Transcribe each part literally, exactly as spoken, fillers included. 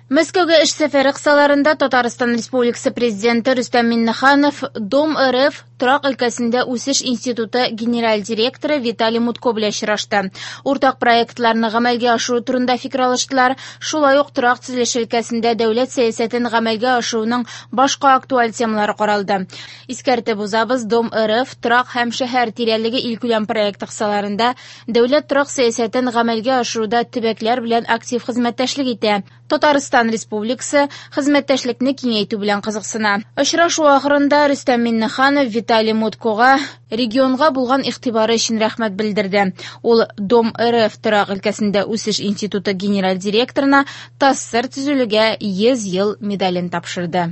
Мәскәүгә эш сәфәре кысаларында Татарстан Республикасы Президенты Рөстәм Миңнеханов Дом РФ торак өлкәсендә үсеш институты генераль директоры Виталий Мутко белән очрашты. Уртак проектларны гамәлгә ашыру турында фикер алыштылар. Шулай ук торак төзелеше өлкәсендә дәүләт сәясәтен гамәлгә ашыруның башка актуаль темалары каралды. Искәртеп узабыз, Дом РФ торак һәм шәһәр тирәлеге илкүләм проекты кысаларында дәүләт торак сәясәтен гамәлгә ашыруда төбәкләр белән актив хезмәттәшлек итә. Татарстан Республикасы хезмәттәшлекне киңәйтү белән кызыксына. Очрашу ахырында Рөстәм Миңнеханов Виталий Муткога регионга булган игътибары өчен рәхмәт белдерде. Ул Дом РФ торак өлкәсендә үсеш институты генераль директорына ТАССР төзелүгә йөз ел медален тапшырды.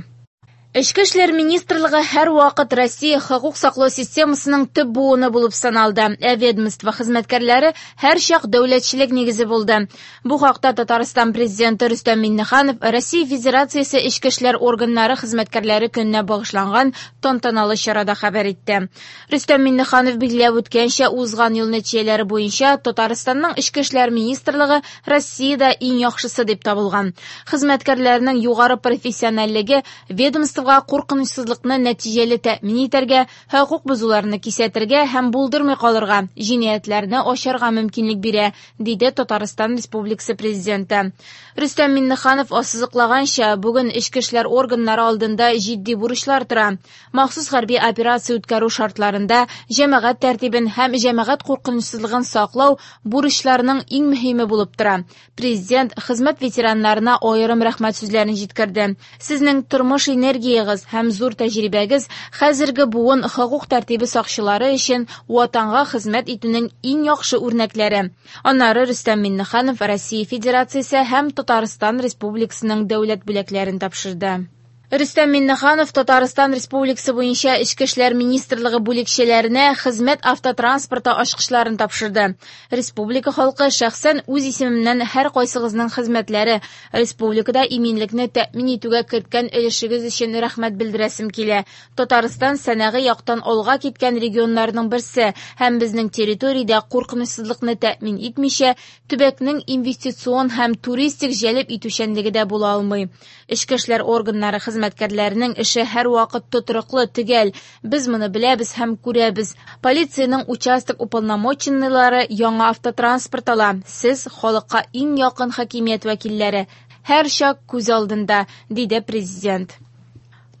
Эчке эшләр министрлыгы һәр вакыт Россия хокук саклау системасының төп буыны булып саналды. Ә ведомство хезмәткәрләре һәр чак дәүләтчелек нигезе булды. Бу хакта Татарстан президенты Рөстәм Миңнеханов Россия Федерациясе эчке эшләр органнары хезмәткәрләре көненә багышланган тантаналы чарада хәбәр итте. Рөстәм Миңнеханов билгеләп үткәнчә, узган ел нәтиҗәләре буенча Татарстанның эчке эшләр министрлыгы Россиядә иң яхшысы дип табылган. Хезмәткәрләрнең югары профессиональлеге ведомство куркынычсызлыкны нәтиҗәле тәэмин итәргә, хокук бозуларны кисәтергә һәм булдырмый калырга, җинаятьләрне ачарга мөмкинлек бирә, диде Татарстан Республикасы президенты. Рөстәм Миңнеханов ассызыклаганча, бүген эчке эшләр органнары алдында җитди бурычлар тора. Махсус хәрби операция үткәрү шартларында җәмәгать тәртибен һәм җәмәгать куркынычсызлыгын саклау бурычларының иң мөһиме булып тора. Президент хезмәт ветераннарына аерым рәхмәт сүзләрен җиткерде. Сезнең тормыш энергия һәм зур тәҗрибәгез хәзерге буын хокук тәртибе сакчылары өчен ватанга хезмәт итүнең иң яхшы үрнәкләре. Аннары Рөстәм Миңнеханов Россия Федерациясе һәм Татарстан Республикасының дәүләт бүләкләрен тапшырды. Рөстәм Миңнеханов Татарстан Республикасы буенча Эчке эшләр министрлыгы бүлекчәләренә хезмәт автотранспорты ачкычларын тапшырды. Республика халкы шәхсән үз исеменнән һәр кайсыгызның хезмәтләре республикада иминлекне тәэмин итүгә керткән өлешегез өчен рәхмәт белдерәсем килә. Татарстан сәнәгый яктан алга киткән регионнарның берсе һәм безнең территориядә куркынычсызлыкны тәэмин итмичә, төбәкнең инвестицион һәм туристик җәлеп итүчәнлеге дә була алмый. Эчке эшләр органнары хезмәткәрләренең эше һәр вакыт тотрыклы, төгәл. Без моны беләбез һәм күрәбез. Полициянең участок уполномоченныйлары яңа автотранспорт ала. Сез халыкка иң якын хакимият вәкилләре. Һәр чак күз алдында, диде президент.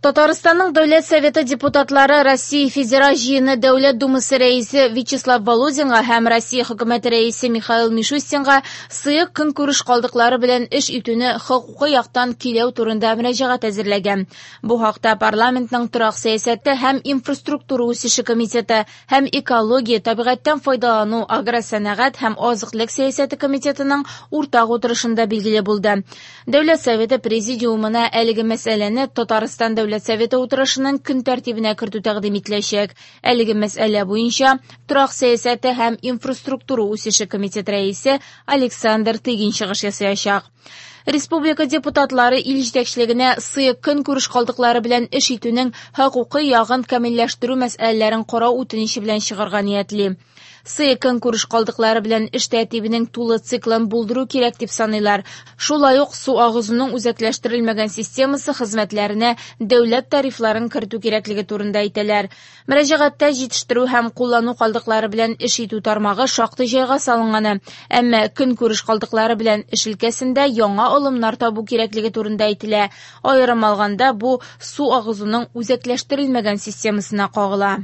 Татарстанның Дәүләт Советы депутатлары Россия Федераль Җыены Дәүләт Думасы рәисе Вячеслав Володинга һәм Россия Хөкүмәте рәисе Михаил Мишустинга сыек көнкүреш калдыклары белән эш итүне хокукый яктан көйләү турында мөрәҗәгать әзерләгән. Бу хакта парламентның торак сәясәте һәм инфраструктура үсеше комитеты һәм экология, табигатьтән файдалану, агросәнәгать һәм азык-төлек сәясәте комитетының уртак утырышында билгеле булды. Дәүләт Советы президиумына әлеге мәсьәләне Татарстан Дәүләт Советы утырышының көн тәртибенә кертү тәкъдим ителәчәк. Әлеге мәсьәлә буенча торак сәясәте һәм инфраструктура үсеше комитеты рәисе Александр Тыгин чыгыш ясаячак. Республика депутатлары ил җитәкчелегенә сыек көнкүреш калдыклары белән эш итүнең хокукый ягын камилләштерү мәсьәләләрен карау үтенече белән чыгарга ниятли. Сыек көнкүреш калдыклары белән эш тәртибенең тулы циклын булдыру кирәк дип саныйлар. Шулай ук су агызуның үзәкләштерелмәгән системасы хезмәтләренә дәүләт тарифларын кертү кирәклеге турында әйтәләр. Мөрәҗәгатьтә җитештерү һәм куллану калдыклары белән эш итү тармагы шактый җайга салынганы, әмма көнкүреш калдыклары белән эш өлкәсендә яңа алымнар табу кирәклеге турында әйтелә. Аерым алганда, бу су агызуның үзәкләштерелмәгән системасына кагыла.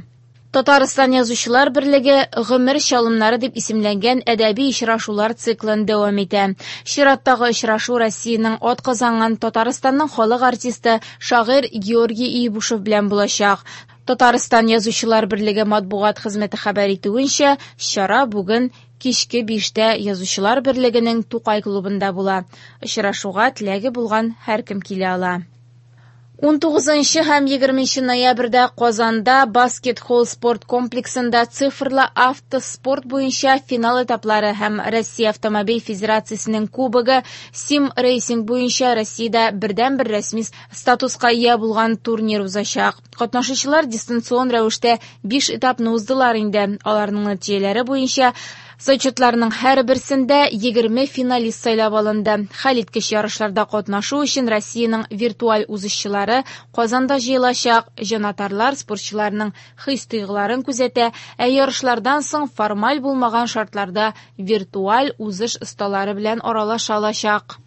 Татарстан Язучылар берлеге Гомер чалымнары дип исемләнгән әдәби очрашулар циклын дәвам итә. Чираттагы очрашу Россиянең атказанган Татарстанның халык артисты, шагыйрь Георгий Ибушев белән булачак. Татарстан Язучылар берлеге матбугат хезмәте хәбәр итүенчә, чара бүген кичке биштә Язучылар берлегенең Тукай клубында була. Очрашуга теләге булган һәркем килә ала. ун тугызынчы һәм егерменче ноябрьдә Казанда Баскет-холл спорт комплексында цифрлы автоспорт буенча финал этаплары һәм Россия Автомобиль Федерациясенең кубогы Сим-рейсинг буенча Россиядә бердәнбер рәсми статуска ия булган турнир узачак. Катнашучылар дистанцион рәвештә биш этапны уздылар инде. Аларның нәтиҗәләре буенча Зачетларның һәрберсендә егерме финалист сайлап алынды. Хәлиткеч ярышларда катнашу өчен Россиянең виртуаль узышчылары Казанда җыелачак. Җанатарлар спортчыларның хис-тойгыларын күзәтә, ә ярышлардан соң формаль булмаган шартларда виртуаль узыш осталары белән аралаша алачак.